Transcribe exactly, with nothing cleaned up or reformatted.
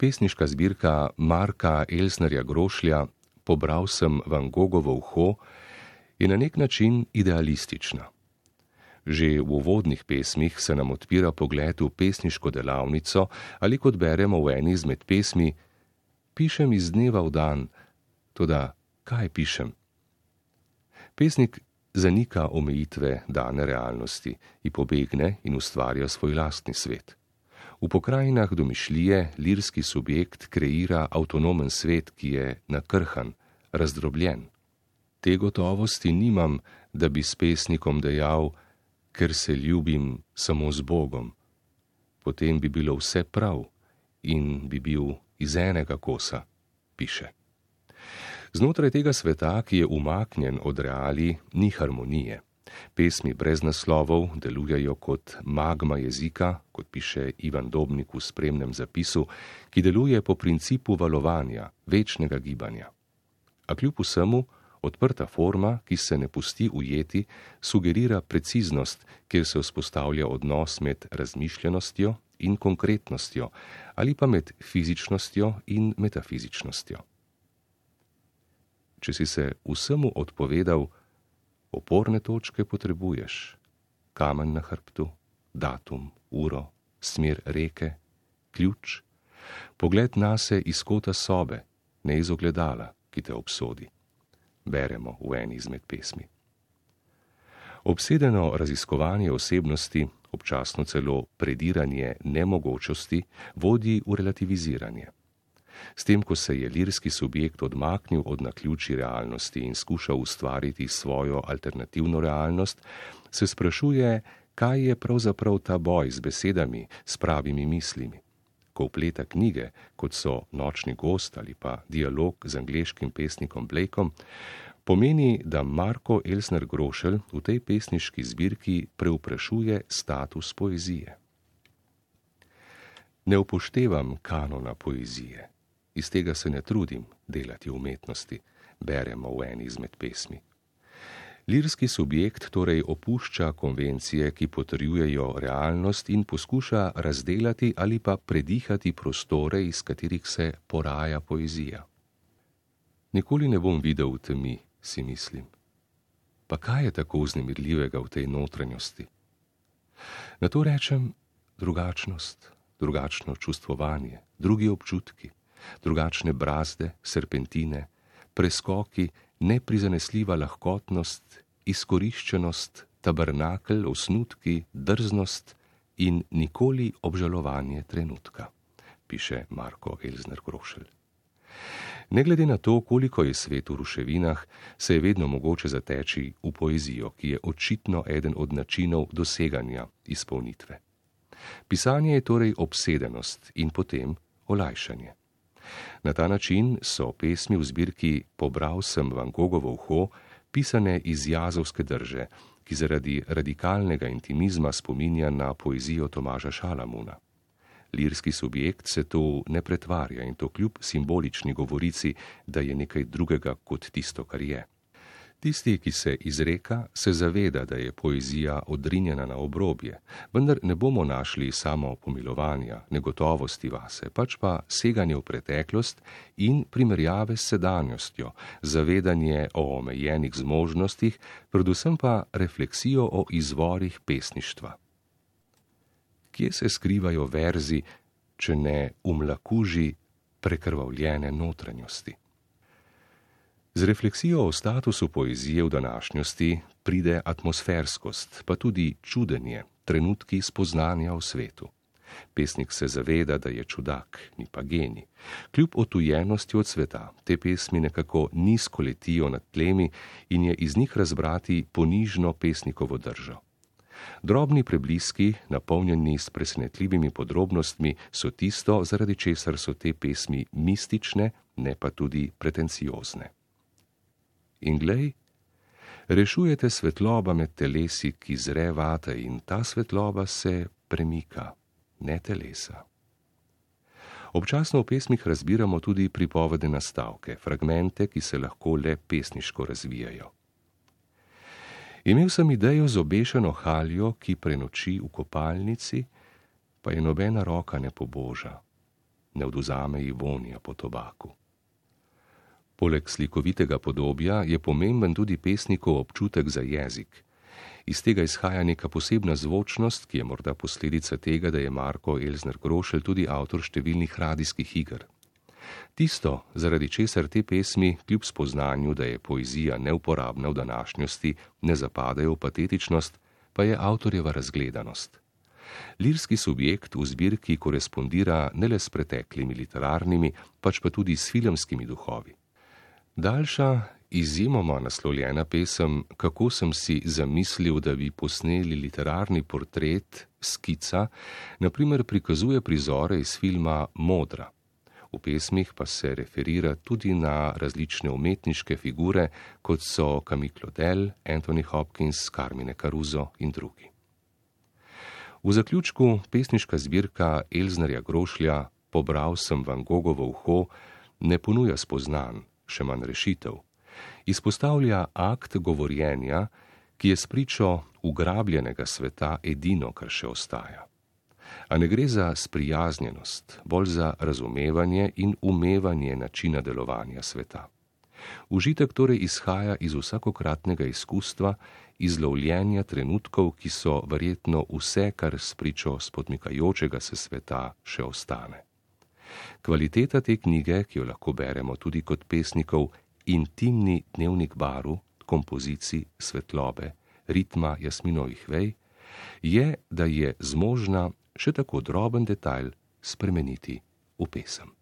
pesniška zbirka Marka Elsnerja Grošlja Pobral sem Van Gogovo uho je na nek način idealistična. Že v uvodnih pesmih se nam odpira pogled v pesniško delavnico ali kot beremo v eni izmed pesmi: Pišem iz dneva v dan, toda kaj pišem? Pesnik zanika omejitve dane realnosti, ji pobegne in ustvarja svoj lastni svet. V pokrajinah domišljije lirski subjekt kreira avtonomen svet, ki je nakrhan, razdrobljen. Te gotovosti nimam, da bi s pesnikom dejal, ker se ljubim samo z Bogom. Potem bi bilo vse prav in bi bil iz enega kosa, piše. Znotraj tega sveta, ki je umaknjen od realij, ni harmonije. Pesmi brez naslovov delujejo kot magma jezika, kot piše Ivan Dobnik v spremnem zapisu, ki deluje po principu valovanja, večnega gibanja. A kljub vsemu, odprta forma, ki se ne pusti ujeti, sugerira preciznost, kjer se vzpostavlja odnos med razmišljenostjo in konkretnostjo, ali pa med fizičnostjo in metafizičnostjo. Če si se vsemu odpovedal, oporne točke potrebuješ. Kamen na hrbtu, datum, uro, smer reke, ključ, pogled nase iz kota sobe, ne iz ogledala, ki te obsodi. Beremo v eni izmed pesmi. Obsedeno raziskovanje osebnosti, občasno celo prediranje nemogočosti, vodi v relativiziranje. S tem, ko se je lirski subjekt odmaknil od naključij realnosti in skušal ustvariti svojo alternativno realnost, se sprašuje, kaj je pravzaprav ta boj z besedami, s pravimi mislimi. Ko vpleta knjige, kot so Nočni gost ali pa dialog z angleškim pesnikom Blakeom, pomeni, da Marko Elsner Grošelj v tej pesniški zbirki preuprašuje status poezije. Ne upoštevam kanona poezije. Iz tega se ne trudim delati umetnosti, beremo v eni izmed pesmi. Lirski subjekt torej opušča konvencije, ki potrjujejo realnost in poskuša razdelati ali pa predihati prostore, iz katerih se poraja poezija. Nikoli ne bom videl v temi, si mislim. Pa kaj je tako vznemirljivega v tej notranjosti? Na to rečem drugačnost, drugačno čustvovanje, drugi občutki, drugačne brazde, serpentine, preskoki, neprizanesljiva lahkotnost, izkoriščenost, tabernakel, osnutki, drznost in nikoli obžalovanje trenutka, piše Marko Elsner Grošelj. Ne glede na to, koliko je svet v ruševinah, se je vedno mogoče zateči v poezijo, ki je očitno eden od načinov doseganja izpolnitve. Pisanje je torej obsedenost in potem olajšanje. Na ta način so pesmi v zbirki Pobral sem Van Gogovo uho pisane iz jazovske drže, ki zaradi radikalnega intimizma spominja na poezijo Tomaža Šalamuna. Lirski subjekt se tu ne pretvarja in to kljub simbolični govorici, da je nekaj drugega kot tisto, kar je. Tisti, ki se izreka, se zaveda, da je poezija odrinjena na obrobje, vendar ne bomo našli samo pomilovanja, negotovosti vase, pač pa seganje v preteklost in primerjave s sedanjostjo, zavedanje o omejenih zmožnostih, predvsem pa refleksijo o izvorih pesništva. Kje se skrivajo verzi, če ne v mlakuži prekrvavljene notranjosti? Z refleksijo o statusu poezije v današnjosti pride atmosferskost, pa tudi čudenje, trenutki spoznanja o svetu. Pesnik se zaveda, da je čudak, ni pa genij. Kljub otujenosti od sveta, te pesmi nekako nizko letijo nad tlemi in je iz njih razbrati ponižno pesnikovo držo. Drobni prebliski, napolnjeni s presenetljivimi podrobnostmi, so tisto, zaradi česar so te pesmi mistične, ne pa tudi pretenciozne. In glej, rešujete svetloba med telesi, ki zre vate, in ta svetloba se premika, ne telesa. Občasno v pesmih razbiramo tudi pripovedne nastavke, fragmente, ki se lahko le pesniško razvijajo. Imel sem idejo z obešeno haljo, ki prenoči v kopalnici, pa je nobena roka ne poboža. ne odvzame ji vonja po tobaku. Poleg slikovitega podobja je pomemben tudi pesnikov občutek za jezik. Iz tega izhaja neka posebna zvočnost, ki je morda posledica tega, da je Marko Elsner Grošelj tudi avtor številnih radijskih iger. Tisto, zaradi česar te pesmi, kljub spoznanju, da je poezija neuporabna v današnjosti, ne zapadajo v patetičnost, pa je avtorjeva razgledanost. Lirski subjekt v zbirki korespondira ne le s preteklimi literarnimi, pač pa tudi s filmskimi duhovi. Daljša, izjemoma naslovljena pesem Kako sem si zamislil, da bi posneli literarni portret, skica, na primer prikazuje prizore iz filma Modra. V pesmih pa se referira tudi na različne umetniške figure, kot so Camille Claudel, Anthony Hopkins, Carmine Caruso in drugi. V zaključku pesniška zbirka Elsnerja Grošlja Pobral sem Van Gogovo uho ne ponuja spoznanj, še manj rešitev. Izpostavlja akt govorjenja, ki je spričo ugrabljenega sveta edino, kar še ostaja. A ne gre za sprijaznjenost, bolj za razumevanje in umevanje načina delovanja sveta. Užitek torej izhaja iz vsakokratnega izkustva, iz lovljenja trenutkov, ki so verjetno vse, kar spričo spodmikajočega se sveta še ostane. Kvaliteta te knjige, ki jo lahko beremo tudi kot pesnikov intimni dnevnik barv, kompozicij, svetlobe, ritma jasminovih vej, je, da je zmožna še tako droben detajl spremeniti v pesem.